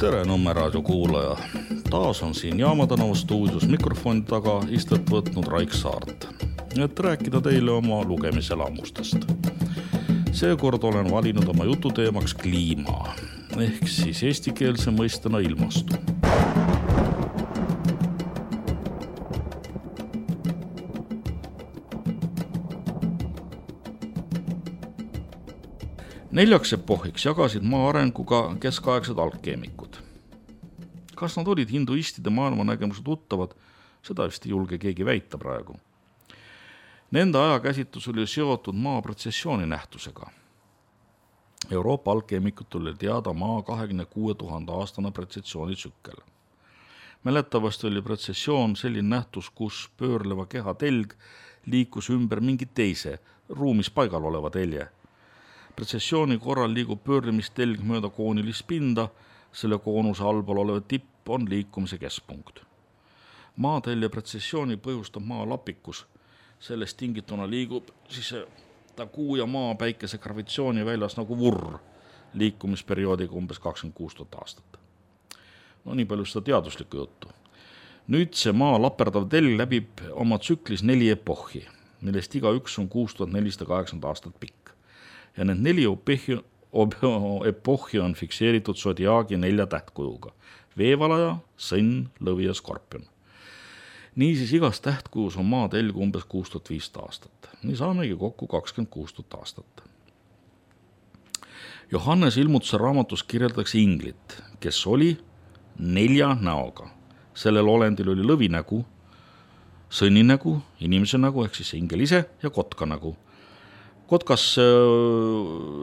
Tere Nõmme raadio kuulaja. Taas on siin Jaama tänava stuudios mikrofoni taga istet võtnud Raik Saart, et rääkida teile oma lugemiselamustest. Seekord olen valinud oma jututeemaks kliima, ehk siis eestikeelse mõistena ilmastu. Neljaks epohiks jagasid maa arenguga keskaegsed alkeemikud. Kas nad olid hinduistide maailmanägemuse tuttavad, seda vist ei julge keegi väita praegu. Nende ajakäsitlus oli seotud maa protsessiooni nähtusega. Euroopa alkeemikutel oli teada maa 26 000 aastane protsessioonisükkel. Mäletavasti oli protsessioon selline nähtus, kus pöörleva keha telg liikus ümber mingi teise, ruumis paigal oleva telje. Protsessiooni korral liigub pöörlemistelg mööda koonilist pinda, selle koonuse allpool olev tipp on liikumise keskpunkt. Maatelje protsessiooni põhjustab maa lapikus, sellest tingituna liigub siis ta kuu ja maa päikese gravitsiooni väljas nagu vurr, liikumisperioodiga umbes 26 000 aastat. No nii palju seda teaduslikku juttu. Nüüd see maa laperdav telg läbib oma tsüklis 4 epohhi, millest iga üks on 6480 aastat pikk. Ja need 4 epohhi on fikseeritud sodiaagi 4 tähtkujuga. Veevalaja, sõnn, lõvi ja skorpion. Niisiis igas tähtkujus on maa telg umbes 6500 aastat. Nii saamegi kokku 26 000 aastat. Johannes ilmutuse raamatus kirjeldatakse inglit, kes oli 4 näoga. Sellel olendil oli lõvi nägu, sõnni nägu, inimese nägu ehk siis ingel ise ja kotka nägu. Kotkas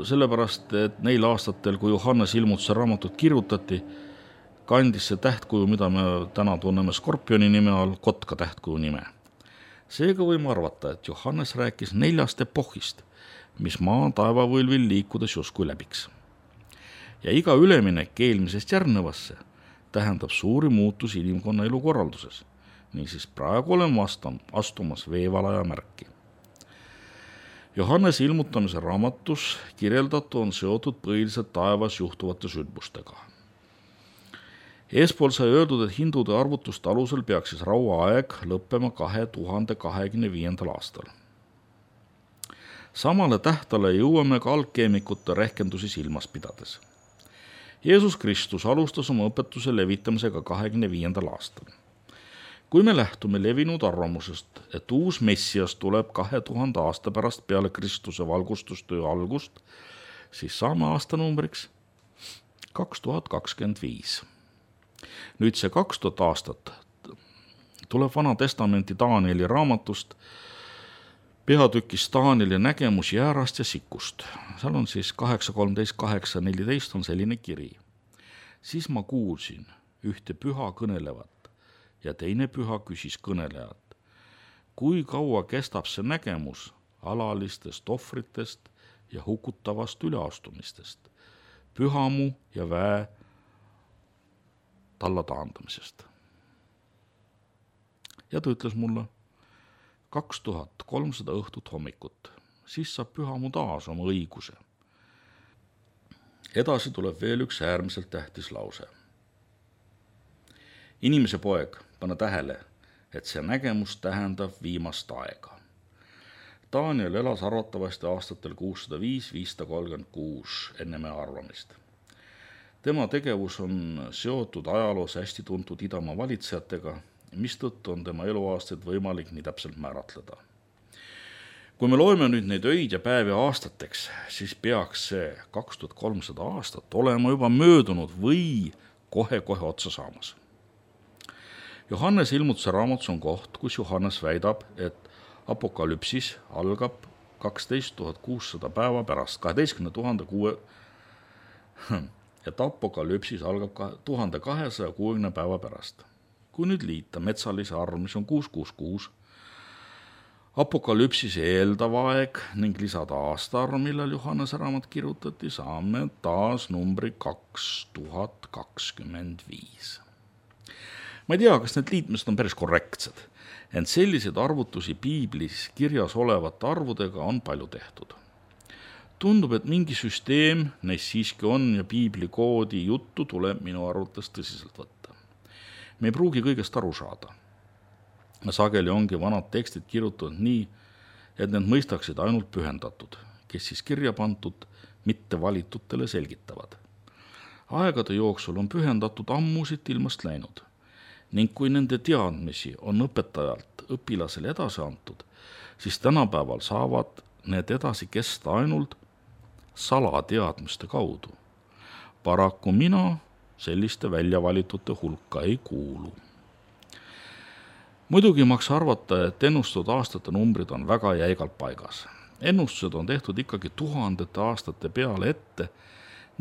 sellepärast, et neil aastatel, kui Johannes ilmutuse raamatut kirjutati, kandis see tähtkuju, mida me täna tunneme skorpioni nime all, kotka tähtkuju nime. Seega võime arvata, et Johannes rääkis 4 epohist, mis maa taevavõlvil liikudes justkui läbiks. Ja iga üleminek eelmisest järgnevasse tähendab suuri muutusi inimkonna elukorralduses. Niisiis praegu oleme astumas veevalaja märki. Johannes ilmutamise raamatus kirjeldatu on seotud põhiliselt taevas juhtuvate sündmustega. Eespool sai öeldud, et hindude arvutuste alusel peaks siis rauaaeg lõppema 2025. aastal. Samale tähtale jõuame ka alkeemikute rehkendusi silmas pidades. Jeesus Kristus alustas oma õpetuse levitamisega 25. aastal. Kui me lähtume levinud arvamusest, et uus Messias tuleb 2000 aasta pärast peale Kristuse valgustustöö algust, siis saame aastanumbriks 2025. Nüüd see 2000 aastat tuleb Vana Testamenti Danieli raamatust, peatükist Danieli nägemus jäärast ja sikust. Seal on siis 8.13.8.14 on selline kiri. Siis ma kuulsin ühte püha kõnelevat ja teine püha küsis kõnelejat. Kui kaua kestab see nägemus alalistest ohvritest ja hukutavast üleastumistest, pühamu ja väe talla taandamisest? Ja ta ütles mulle 2300 õhtut hommikut, siis saab pühamu taas oma õiguse. Edasi tuleb veel üks äärmiselt tähtis lause. Inimese poeg, pane tähele, et see nägemus tähendab viimast aega. Daniel elas arvatavasti aastatel 605-536 enne meie arvamist. Tema tegevus on seotud ajaloos hästi tuntud idamaa valitsejatega, mistõttu on tema eluaastaid võimalik nii täpselt määratleda. Kui me loeme nüüd neid öid ja päevi aastateks, siis peaks see 2300 aastat olema juba möödunud või kohe-kohe otsa saamas. Johannes ilmutuse raamatus on koht, kus Johannes väidab, et apokalüpsis algab 12 600 päeva pärast, 1260 päeva pärast. Kui nüüd liita metsalise arv, mis on 666, apokalüpsise eeldav aeg ning lisada aastaarv, millal Johannese raamat kirjutati, saame taas numbri 2025. Ma ei tea, kas need liitmised on päris korrektsed, ent selliseid arvutusi piiblis kirjas olevate arvudega on palju tehtud. Tundub, et mingi süsteem neis siiski on ja piibli koodi juttu tuleb minu arvates tõsiselt võtta. Me ei pruugi kõigest aru saada. Sageli ongi vanad tekstid kirjutatud nii, et need mõistaksid ainult pühendatud, kes siis kirja pandud, mitte valitutele selgitavad. Aegade jooksul on pühendatud ammusid ilmast läinud ning kui nende teadmisi on õpetajalt õpilasele edasi antud, siis tänapäeval saavad need edasi kesta ainult salateadmiste kaudu. Paraku mina selliste väljavalitute hulka ei kuulu. Muidugi maks arvata, et ennustatud aastate numbrid on väga jäigalt paigas. Ennustused on tehtud ikkagi tuhandete aastate peale ette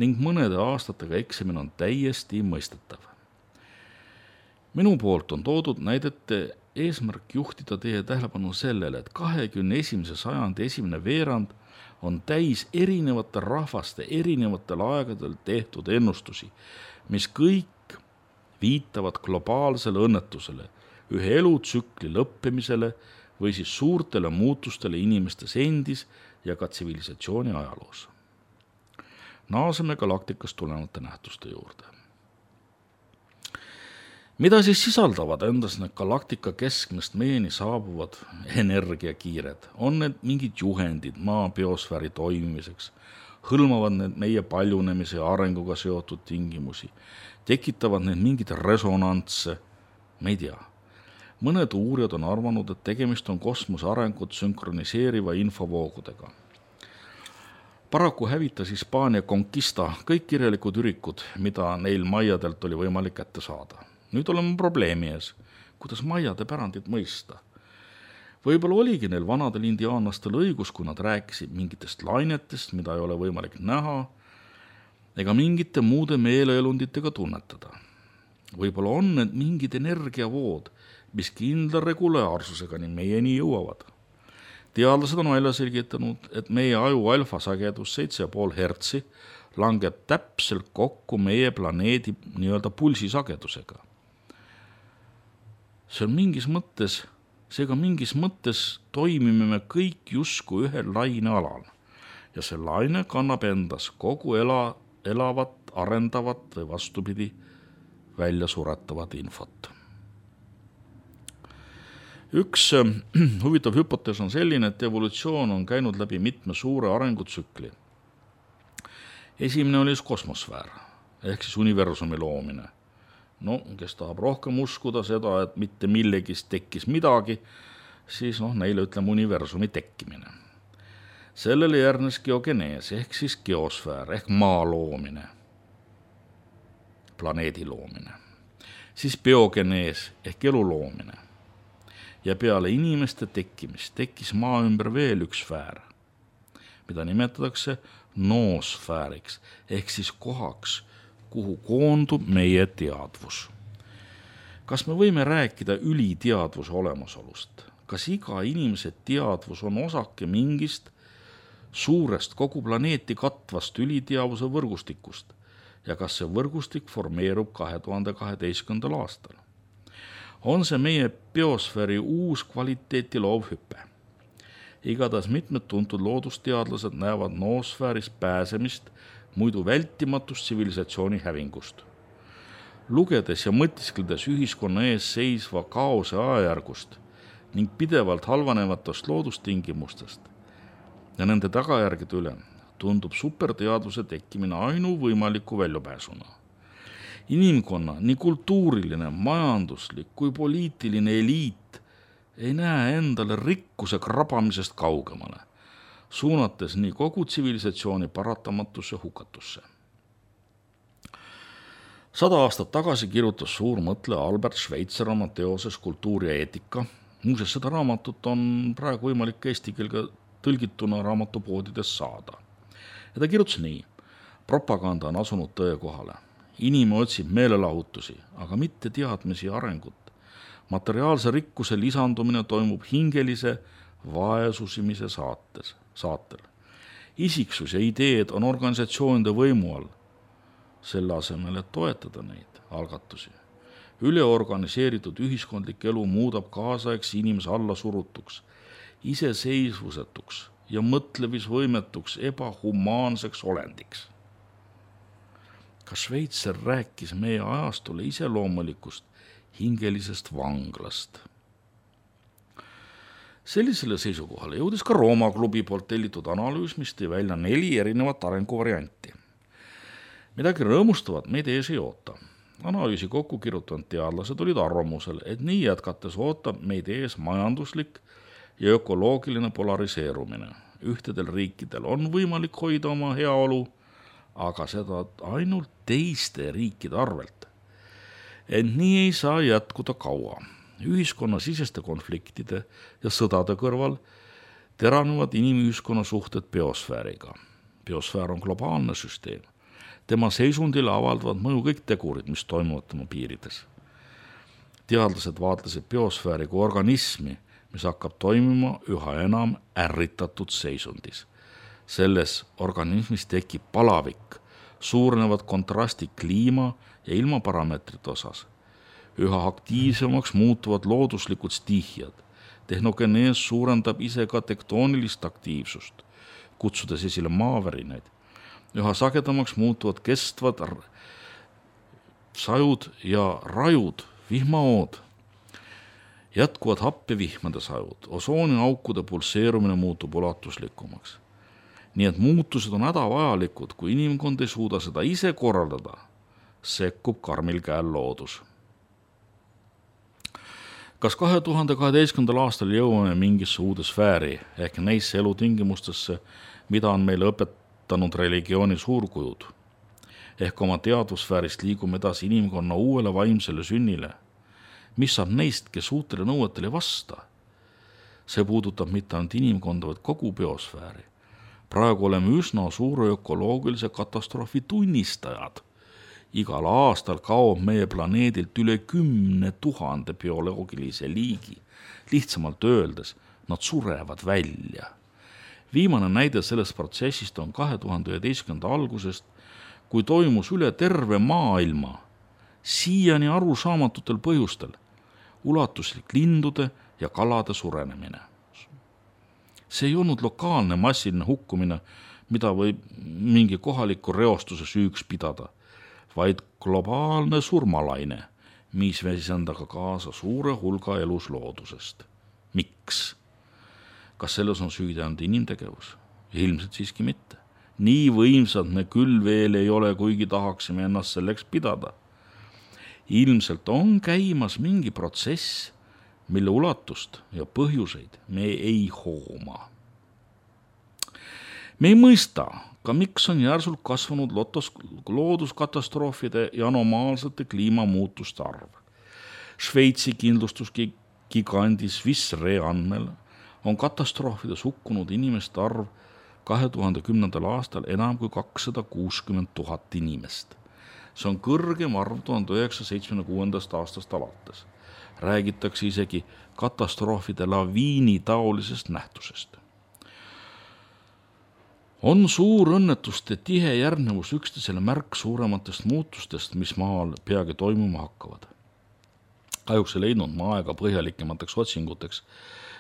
ning mõnede aastatega eksamine on täiesti mõistetav. Minu poolt on toodud näidete eesmärk juhtida teie tähelepanu sellele, et 21. sajandi esimene veerand on täis erinevate rahvaste erinevatel aegadel tehtud ennustusi, mis kõik viitavad globaalsele õnnetusele, ühe elutsükli lõppemisele või siis suurtele muutustele inimestes endis ja ka tsivilisatsiooni ajaloos. Naaseme galaktikast tulenevate nähtuste juurde. Mida siis sisaldavad endas need galaktika keskmest meieni saabuvad energiakiired? On need mingid juhendid maa biosfääri toimimiseks? Hõlmavad need meie paljunemise ja arenguga seotud tingimusi? Tekitavad need mingid resonantse? Me ei tea. Mõned uurijad on arvanud, et tegemist on kosmose arengut sünkroniseeriva infovoogudega. Paraku hävitas Hispaania Conquista kõik kirjalikud ürikud, mida neil maiadelt oli võimalik kätte saada. Nüüd oleme probleemi ees, kuidas maiade pärandit mõista. Võib-olla oligi neil vanadel indiaanlastel õigus, kui nad rääkisid mingitest lainetest, mida ei ole võimalik näha, ega mingite muude meeleelunditega tunnetada. Võib-olla on need mingid energiavood, mis kindla regulaarsusega nii meieni jõuavad. Teadlased on välja selgitanud, et meie aju alfasagedus 7,5 hertsi langeb täpselt kokku meie planeedi nii-öelda pulsisagedusega. Seega mingis mõttes toimime me kõik justkui ühel lainealal ja see laine kannab endas kogu elavat, arendavat või vastupidi välja suretavat infot. Üks huvitav hüpotees on selline, et evolutsioon on käinud läbi mitme suure arengutsükli. Esimene oli kosmosfäär ehk siis universumi loomine. Kes tahab rohkem uskuda seda, et mitte millegist tekkis midagi, siis neile ütleme universumi tekkimine. Sellele järgnes geogenees ehk siis geosfäär ehk maa loomine, planeedi loomine. Siis biogenees ehk elu loomine. Ja peale inimeste tekkimist tekkis maa ümber veel üks sfäär, mida nimetatakse noosfääriks ehk siis kohaks, kuhu koondub meie teadvus. Kas me võime rääkida üliteadvuse olemasolust? Kas iga inimese teadvus on osake mingist suurest kogu planeeti katvast üliteadvuse võrgustikust ja kas see võrgustik formeerub 2012. aastal? On see meie biosfääri uus kvaliteeti loov hüpe? Igatahes mitmed tuntud loodusteadlased näevad noosfääris pääsemist muidu vältimatust tsivilisatsiooni hävingust. Lugedes ja mõtiskledes ühiskonna ees seisva kaose ajajärgust ning pidevalt halvanevatest loodustingimustest ja nende tagajärgede üle tundub superteadvuse tekkimine ainuvõimaliku väljapääsuna. Inimkonna nii kultuuriline, majanduslik kui poliitiline eliit ei näe endale rikkuse krabamisest kaugemale, suunates nii kogu tsivilisatsiooni paratamatusse hukatusse. 100 aastat tagasi kirjutas suur mõtleja Albert Schweitzer oma teoses Kultuur ja eetika. Muuseas, seda raamatut on praegu võimalik eesti keelega tõlgituna raamatupoodides saada. Ja ta kirjutas nii: propaganda on asunud tõe kohale. Inimene otsib meelelahutusi, aga mitte teadmisi ja arengut. Materiaalse rikkuse lisandumine toimub hingelise vaesusimise saatel. Isiksus ja ideed on organisatsioonide võimu all, selle asemel, et toetada neid algatusi. Üleorganiseeritud ühiskondlik elu muudab kaasaegse inimese alla surutuks, iseseisvusetuks ja mõtlemisvõimetuks ebahumaanseks olendiks. Ka Šveitser rääkis meie ajastule iseloomulikust hingelisest vanglast. Sellisele seisukohale jõudis ka Rooma klubi poolt tellitud analüüs, mis tõi välja 4 erinevat arenguvarianti. Midagi rõõmustavat meid ees ei oota. Analüüsi kokku kirjutanud teadlased olid arvamusel, et nii jätkates ootab meid ees majanduslik ja ökoloogiline polariseerumine. Ühtedel riikidel on võimalik hoida oma heaolu, aga seda ainult teiste riikide arvelt. Ent nii ei saa jätkuda kaua. Ühiskonnasiseste konfliktide ja sõdade kõrval teranevad inimühiskonna suhted biosfääriga. Biosfäär on globaalne süsteem. Tema seisundile avaldavad mõju kõik tegurid, mis toimuvad tema piirides. Teadlased vaatlesid biosfääri kui organismi, mis hakkab toimima üha enam ärritatud seisundis. Selles organismis tekib palavik, suurenevad kontrasti kliima ja ilmaparameetrite osas. Üha aktiivsemaks muutuvad looduslikud stiihiad. Tehnogenees suurendab ise ka tektoonilist aktiivsust, kutsudes esile maavärinaid. Üha sagedamaks muutuvad kestvad sajud ja rajud, vihmaood. Jätkuvad happevihmade sajud, osooniaukude pulseerumine muutub ulatuslikumaks. Nii et muutused on hädavajalikud, kui inimkond ei suuda seda ise korraldada, sekkub karmil käel loodus. Kas 2012. aastal jõuame mingisse uude sfääri ehk neisse elutingimustesse, mida on meile õpetanud religiooni suurkujud? Ehk oma teadvussfäärist liigume edasi inimkonna uuele vaimsele sünnile. Mis saab neist, kes uutele nõuetele ei vasta? See puudutab mitte ainult inimkonda, vaid kogu biosfääri. Praegu oleme üsna suure ökoloogilise katastroofi tunnistajad. Igal aastal kaob meie planeedilt üle 10 000 bioloogilise liigi. Lihtsamalt öeldes, nad surevad välja. Viimane näide sellest protsessist on 2011. algusest, kui toimus üle terve maailma siiani arusaamatutel põhjustel ulatuslik lindude ja kalade surenemine. See ei olnud lokaalne massiline hukkumine, mida võib mingi kohaliku reostuse süüks pidada, vaid globaalne surmalaine, mis vesis endaga kaasa suure hulga elusloodusest. Miks? Kas selles on süüdi ainult inimtegevus? Ilmselt siiski mitte. Nii võimsad me küll veel ei ole, kuigi tahaksime ennast selleks pidada. Ilmselt on käimas mingi protsess, mille ulatust ja põhjuseid me ei hooma. Me ei mõista, ka miks on järsult kasvanud looduskatastroofide ja anomaalsete kliimamuutuste arv. Šveitsi kindlustusgiganti Swiss Re andmel on katastroofides hukkunud inimeste arv 2010. aastal enam kui 260 000 inimest. See on kõrgem arv 1976. aastast alates. Räägitakse isegi katastroofide laviini taolisest nähtusest. On suur õnnetuste tihe järgnevus üksteisele märk suurematest muutustest, mis maal peagi toimuma hakkavad. Kahjuks ei leidnud ma aega põhjalikemateks otsinguteks,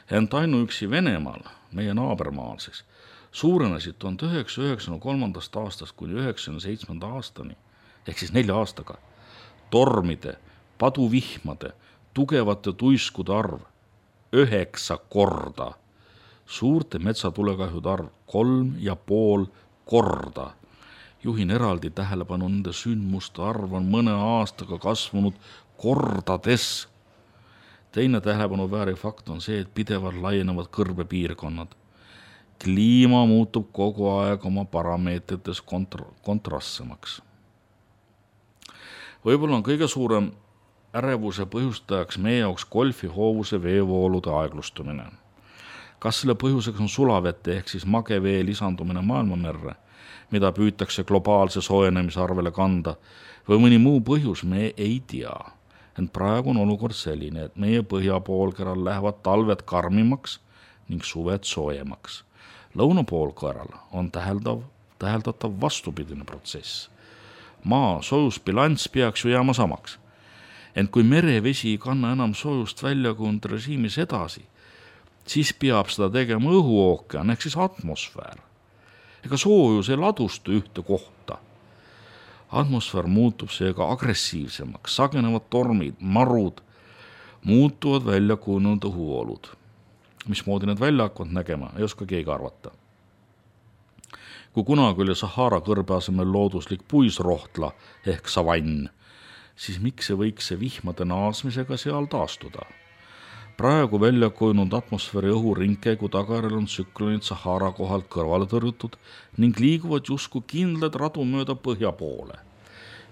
ent ainuüksi Venemaal, meie naabermaal siis, suurenesid 1993. aastast kuni 1997. aastani, ehk siis 4 aastaga, tormide, paduvihmade, tugevate tuiskude arv 9 korda, suurte metsatulekahjude arv 3,5 korda. Juhin eraldi tähelepanu, nende sündmuste arv on mõne aastaga kasvanud kordades. Teine tähelepanu vääriv fakt on see, et pidevalt laienevad kõrbepiirkonnad. Kliima muutub kogu aeg oma parameetrites kontrastsemaks. Võib-olla on kõige suurem ärevuse põhjustajaks meie jaoks golfihoovuse veevoolude aeglustumine. Kas selle põhjuseks on sulavete ehk siis magevee lisandumine maailmamerre, mida püütakse globaalse soojenemise arvele kanda, või mõni muu põhjus, me ei tea. Ent praegu on olukord selline, et meie põhjapoolkeral lähevad talved karmimaks ning suved soojemaks. Lõunapoolkeral on täheldatav vastupidine protsess. Maa soojusbilanss peaks ju jääma samaks. Ent kui merevesi ei kanna enam soojust väljakujunenud režiimis edasi, siis peab seda tegema õhuookean ehk siis atmosfäär. Ega soojus ei ladustu ühte kohta. Atmosfäär muutub seega agressiivsemaks, sagenevad tormid, marud, muutuvad välja kujunenud õhuvoolud. Mismoodi need välja hakkavad nägema, ei oska keegi arvata. Kui kunagi oli Sahara kõrbe asemel looduslik puisrohtla ehk savann, siis miks ei võiks see vihmade naasmisega seal taastuda? Praegu välja kujunenud atmosfääri õhuringkäigu tagajärjel on tsüklonid Sahara kohalt kõrvale tõrjutud ning liiguvad justkui kindlad radu mööda põhja poole.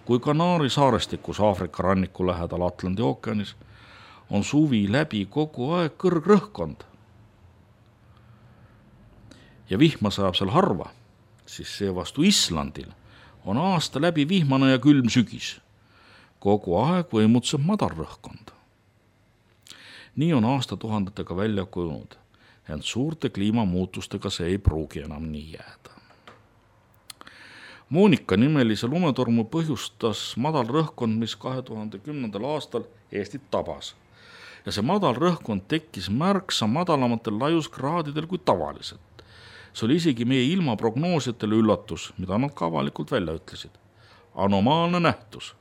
Kui Kanaari saarestikus Aafrika ranniku lähedal Atlandi ookeanis on suvi läbi kogu aeg kõrgrõhkkond ja vihma sajab seal harva, siis seevastu Islandil on aasta läbi vihmane ja külm sügis. Kogu aeg võimutseb madalrõhkkond. Nii on aastatuhandetega välja kujunud, ent suurte kliimamuutustega see ei pruugi enam nii jääda. Moonika nimelise lumetormu põhjustas madalrõhkkond, mis 2010. aastal Eestit tabas. Ja see madalrõhkkond tekkis märksa madalamatel laiuskraadidel kui tavaliselt. See oli isegi meie ilmaprognoosijatele üllatus, mida nad ka avalikult välja ütlesid. Anomaalne nähtus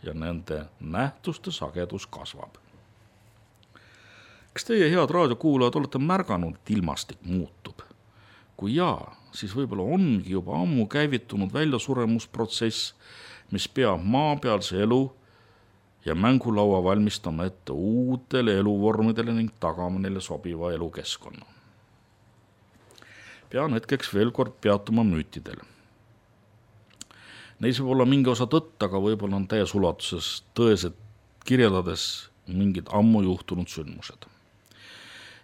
ja nende nähtuste sagedus kasvab. Kas teie head raadiokuulajad olete märganud, et ilmastik muutub? Kui jaa, siis võib-olla ongi juba ammu käivitunud väljasuremusprotsess, mis peab maapealse elu ja mängulaua valmistama ette uutele eluvormidele ning tagama neile sobiva elukeskkonna. Pean hetkeks veel kord peatuma müütidel. Neis võib olla mingi osa tõtt, aga võib-olla on täies ulatuses tõesed kirjeldades mingid ammu juhtunud sündmused.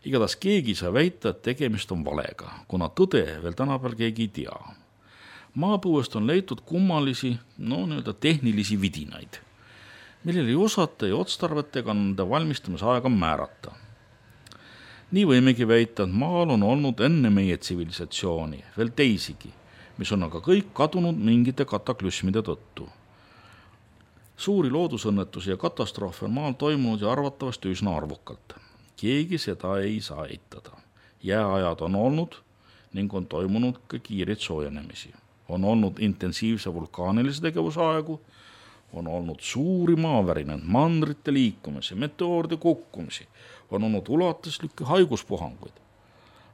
Igatahes keegi sai väita, et tegemist on valega, kuna tõde veel tänapäeval keegi ei tea. Maapõuest on leitud kummalisi, tehnilisi vidinaid, millel ei osata ja otstarvetega nende valmistamise aega määrata. Nii võimegi väita, et maal on olnud enne meie tsivilisatsiooni veel teisigi, mis on aga kõik kadunud mingite kataklüsmide tõttu. Suuri loodusõnnetusi ja katastroofe on maal toimunud ja arvatavasti üsna arvukalt. Keegi seda ei saa eitada. Jääajad on olnud ning on toimunud ka kiireid soojenemisi. On olnud intensiivse vulkaanilise tegevuse aegu, on olnud suuri maavärinaid, mandrite liikumisi, meteooride kukkumisi, on olnud ulatuslikke haiguspuhanguid.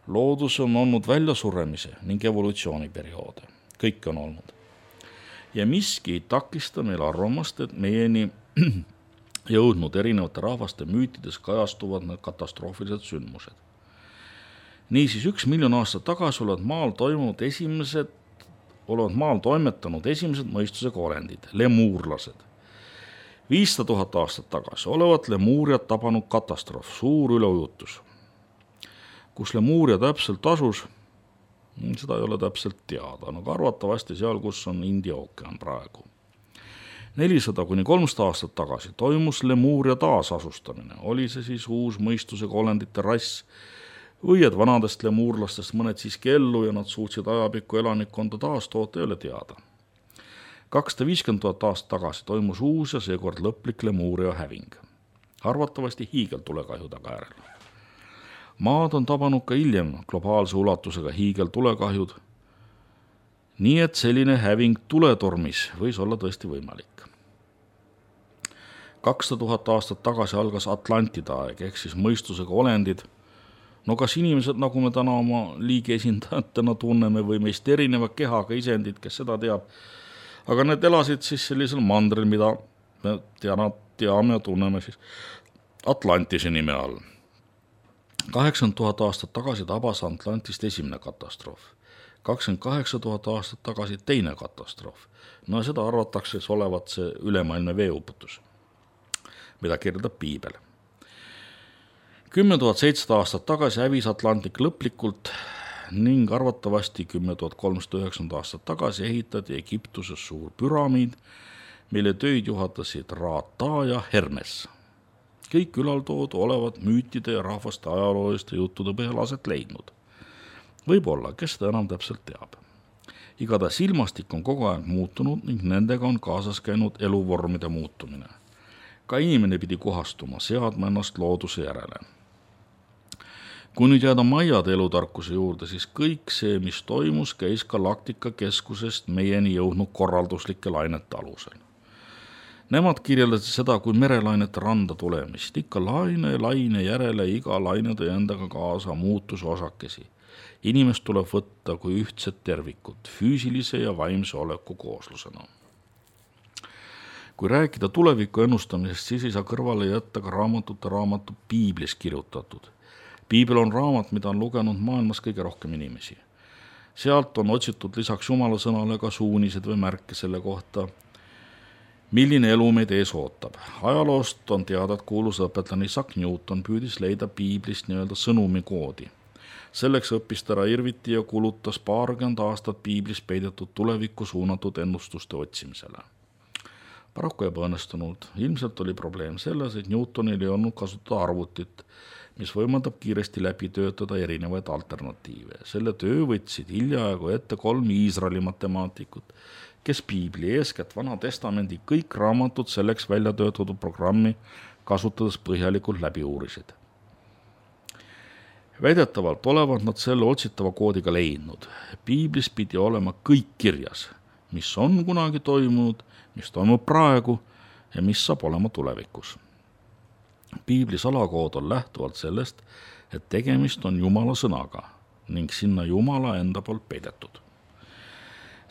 Loodus on olnud väljasuremise ning evolutsiooniperioode. Kõik on olnud. Ja miski ei takista meil arvamast, et meieni jõudnud erinevate rahvaste müütides kajastuvad need katastroofilised sündmused. Niisiis 1 miljon aastat tagasi olevat maal toimetanud esimesed mõistusega olendid, lemuurlased. 500 000 aastat tagasi olevat Lemuuriat tabanud katastroof, suur üleujutus. Kus Lemuuria täpselt asus, seda ei ole täpselt teada, aga arvatavasti seal, kus on India ookean praegu. 400–300 aastat tagasi toimus Lemuuria taasasustamine, oli see siis uus mõistusega olendite rass või et vanadest lemuurlastest mõned siiski ellu ja nad suutsid ajapikku elanikkonda taastoota, ei ole teada. 250 000 aastat tagasi toimus uus ja seekord lõplik Lemuuria häving, arvatavasti hiigeltulekahju tagajärjel. Maad on tabanud ka hiljem globaalse ulatusega hiigeltulekahjud, nii et selline häving tuletormis võis olla tõesti võimalik. 200 000 aastat tagasi algas Atlantide aeg, ehk siis mõistusega olendid. Kas inimesed, nagu me täna oma liigi esindajatena tunneme või meist erineva kehaga isendid, kes seda teab, aga need elasid siis sellisel mandril, mida me teame ja tunneme siis Atlantise nime all. 80 000 aastat tagasi tabas Atlantist esimene katastroof. 28 000 aastat tagasi teine katastroof. Seda arvatakse olevat see ülemaailmne veeuputus, mida kirjeldab piibel. 10 700 aastat tagasi hävis Atlantik lõplikult ning arvatavasti 10 390 aastat tagasi ehitati Egiptuses suur püramiid, mille töid juhatasid Ra-Ta ja Hermes. Kõik ülaltoodu olevat müütide ja rahvaste ajalooliste juttude põhjal aset leidnud. Võib-olla, kes seda enam täpselt teab. Igatahes ilmastik on kogu aeg muutunud ning nendega on kaasas käinud eluvormide muutumine. Ka inimene pidi kohastuma, seadma ennast looduse järele. Kui nüüd jääda maiade elutarkuse juurde, siis kõik see, mis toimus, käis galaktika keskusest meieni jõudnud korralduslike lainete alusel. Nemad kirjeldasid seda kui merelainete randa tulemist. Ikka laine järele iga laine tõi endaga kaasa muutuse osakesi. Inimest tuleb võtta kui ühtset tervikut, füüsilise ja vaimse oleku kooslusena. Kui rääkida tuleviku ennustamisest, siis ei saa kõrvale jätta ka raamatu Piiblis kirjutatud. Piibel on raamat, mida on lugenud maailmas kõige rohkem inimesi. Sealt on otsitud lisaks Jumala sõnale ka suunised või märke selle kohta, milline elu meid ees ootab. Ajaloost on teada, et kuulus õpetlane Isaac Newton püüdis leida Piiblist nii-öelda sõnumi koodi. Selleks õppis ta ära irviti ja kulutas 20 aastat Piiblis peidetud tulevikku suunatud ennustuste otsimisele. Paraku ebaõnnestunud. Ilmselt oli probleem selles, et Newtonil ei olnud kasutada arvutit, mis võimaldab kiiresti läbi töötada erinevaid alternatiive. Selle töö võtsid hiljaaegu ette 3 Iisraeli matemaatikut, kes Piibli, eeskätt Vana Testamendi kõik raamatud selleks välja töötatud programmi kasutades põhjalikult läbi uurisid. Väidetavalt olevat nad selle otsitava koodiga leidnud. Piiblis pidi olema kõik kirjas, mis on kunagi toimunud, mis toimub praegu ja mis saab olema tulevikus. Piibli salakood on lähtuvalt sellest, et tegemist on Jumala sõnaga ning sinna Jumala enda poolt peidetud.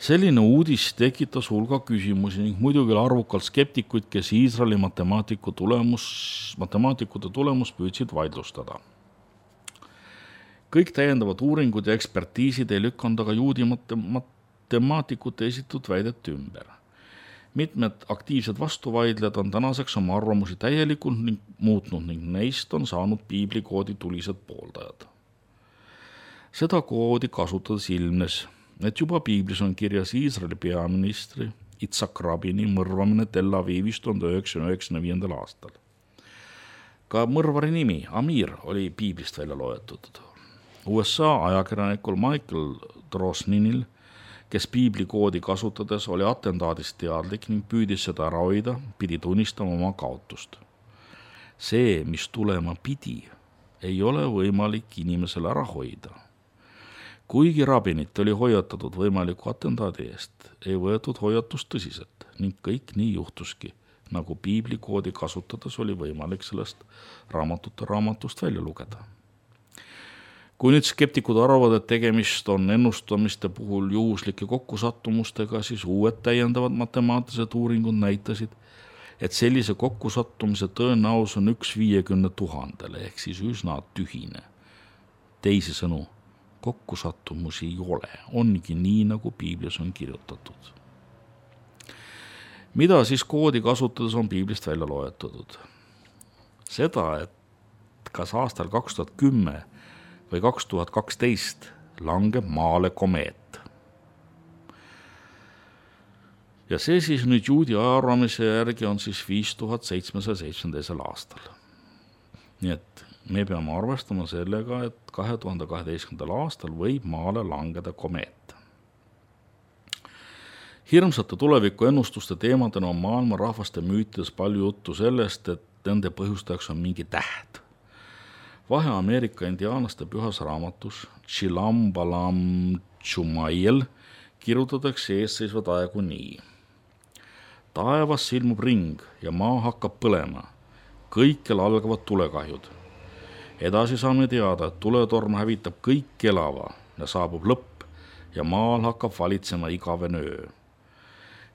Selline uudis tekitas hulga küsimusi ning muidugi arvukalt skeptikuid, kes Iisraeli matemaatikute tulemust püüdsid vaidlustada. Kõik täiendavad uuringud ja ekspertiisid ei lükanud aga juudi matemaatikute esitatud väidet ümber. Mitmed aktiivsed vastuvaidlejad on tänaseks oma arvamusi täielikult muutnud ning neist on saanud piiblikoodi tulised pooldajad. Seda koodi kasutades ilmnes, et juba Piiblis on kirjas Iisraeli peaministri Yitzhak Rabini mõrvamine Tel Avivis 1995. aastal. Ka mõrvari nimi Amir oli Piiblist välja loetud. USA ajakirjanikul Michael Drosninil, kes piiblikoodi kasutades oli atentaadist teadlik ning püüdis seda ära hoida, pidi tunnistama oma kaotust. See, mis tulema pidi, ei ole võimalik inimesele ära hoida. Kuigi Rabinit oli hoiatatud võimaliku atentaadi eest, ei võetud hoiatust tõsiselt ning kõik nii juhtuski, nagu piiblikoodi kasutades oli võimalik sellest raamatust välja lugeda. Kui nüüd skeptikud arvavad, et tegemist on ennustamiste puhul juhuslike kokkusattumustega, siis uued täiendavad matemaatilised uuringud näitasid, et sellise kokkusattumise tõenäosus on 1/50 000 ehk siis üsna tühine. Teisisõnu, kokkusattumusi ei ole, ongi nii, nagu Piiblis on kirjutatud. Mida siis koodi kasutades on Piiblist välja loetud? Seda, et kas aastal 2010 või 2012 langeb maale komeet. Ja see siis nüüd juudi ajaarvamise järgi on siis 5772. aastal. Nii et me peame arvestama sellega, et 2012. aastal võib maale langeda komeet. Hirmsate tuleviku ennustuste teemadena on maailma rahvaste müütides palju juttu sellest, et nende põhjustajaks on mingi täht. Vahe Ameerika indiaanlaste pühas raamatus Chilam Balam Chumayel kirjutatakse eesseisvad aegu nii. Taevas silmub ring ja maa hakkab põlema. Kõikjal algavad tulekahjud. Edasi saame teada, et tuletorm hävitab kõik elava ja saabub lõpp ja maal hakkab valitsema igavene öö.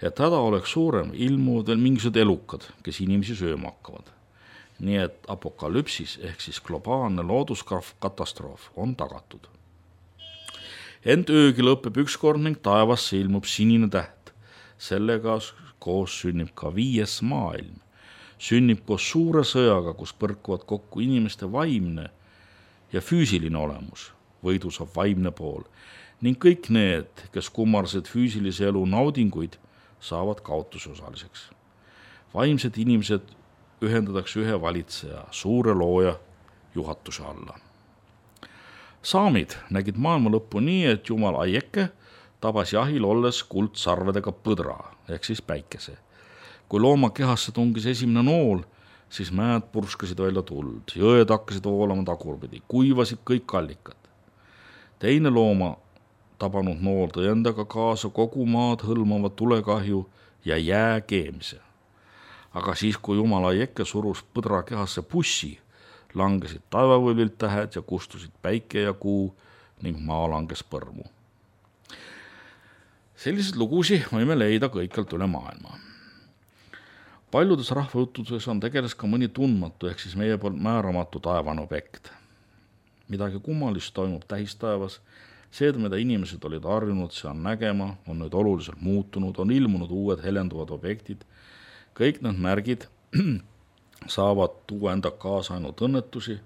Et häda oleks suurem, ilmuvad veel mingisugused elukad, kes inimesi sööma hakkavad. Nii et apokalüpsis ehk siis globaalne looduskatastroof on tagatud. Ent öögi lõpeb ükskord ning taevasse ilmub sinine täht. Sellega koos sünnib ka 5. maailm. Sünnib koos suure sõjaga, kus põrkuvad kokku inimeste vaimne ja füüsiline olemus. Võidu saab vaimne pool ning kõik need, kes kummarsid füüsilise elu naudinguid, saavad kaotuse osaliseks. Vaimsed inimesed ühendatakse ühe valitseja, suure looja juhatuse alla. Saamid nägid maailma lõppu nii, et jumal Aieke tabas jahil olles kuldsarvedega põdra ehk siis päikese. Kui looma kehasse tungis esimene nool, siis mäed purskasid välja tuld, jõed hakkasid voolama tagurpidi, kuivasid kõik allikad. Teine looma tabanud nool tõi endaga kaasa kogu maad hõlmava tulekahju ja jää keemise. Aga siis, kui Jumala Jekke surus põdra kehasse pussi, langesid taevavõivilt tähed ja kustusid päike ja kuu ning maa langes põrmu. Sellised lugusi võime leida kõikjalt üle maailma. Paljudes rahvajuttudes on tegeles ka mõni tundmatu ehk siis meie poolt määramatu taevane objekt. Midagi kummalist toimub tähistaevas, see, mida inimesed olid harjunud seal nägema, on nüüd oluliselt muutunud, on ilmunud uued helenduvad objektid. Kõik need märgid saavad tuua enda kaasa ainult õnnetusi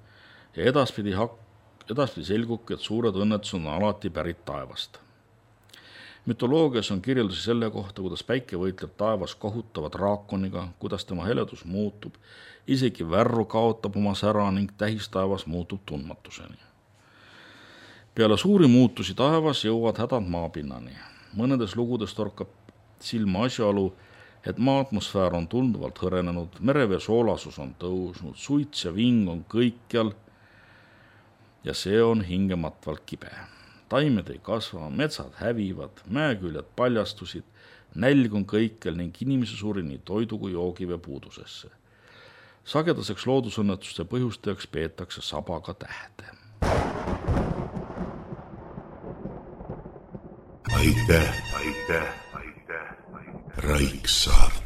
ja edaspidi selgubki, et suured õnnetused on alati pärit taevast. Mütoloogias on kirjeldusi selle kohta, kuidas päike võitleb taevas kohutava draakoniga, kuidas tema heledus muutub, isegi värru kaotab oma sära ning tähistaevas muutub tundmatuseni. Peale suuri muutusi taevas jõuavad hädad maapinnani. Mõnedes lugudes torkab silma asjaolu, et maa atmosfäär on tunduvalt hõrenenud, merevee soolasus on tõusnud, suits ja ving on kõikjal ja see on hingematvalt kibe. Taimed ei kasva, metsad hävivad, mäeküljed paljastusid, nälg on kõikjal ning inimese suri nii toidu kui joogivee puudusesse. Sagedaseks loodusõnnetuste põhjustajaks peetakse sabaga tähte. Aitäh. Raiksaart.